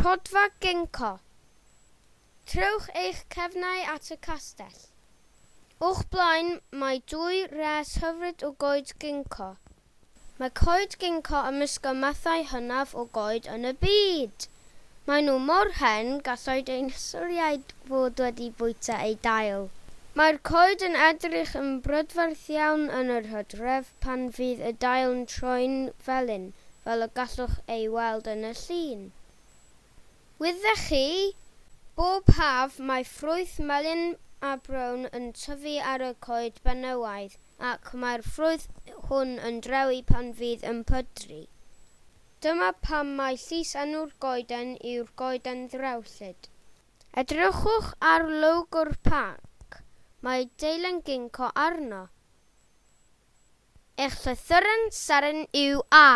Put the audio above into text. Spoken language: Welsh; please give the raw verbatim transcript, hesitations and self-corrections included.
Rhodfa Ginkgo. Trowch eich cefnau at y castell. O'ch blaen mae dwy res hyfryd o goed ginkgo. Mae coed ginkgo ymysg y mathau hynaf o goed yn y byd. Maen nhw mor hen, gallai deinosoriaid fod wedi bwyta eu dail. Mae'r coed yn edrych yn brydferth iawn yn yr hydref pan fydd y dail yn troi'n felyn, fel y gallwch ei weld yn y llun. Wyddech chi? Bob haf, mae ffrwyth melyn a brown yn tyfu ar y coed benywaidd ac mae'r ffrwyth hwn yn drewi pan fydd yn pydru. Dyma pam mai llysenw'r goeden yw'r goeden ddrewllyd. Edrychwch ar logo'r parc, mae deilen ginkgo arno. Eich llythyren seren yw A.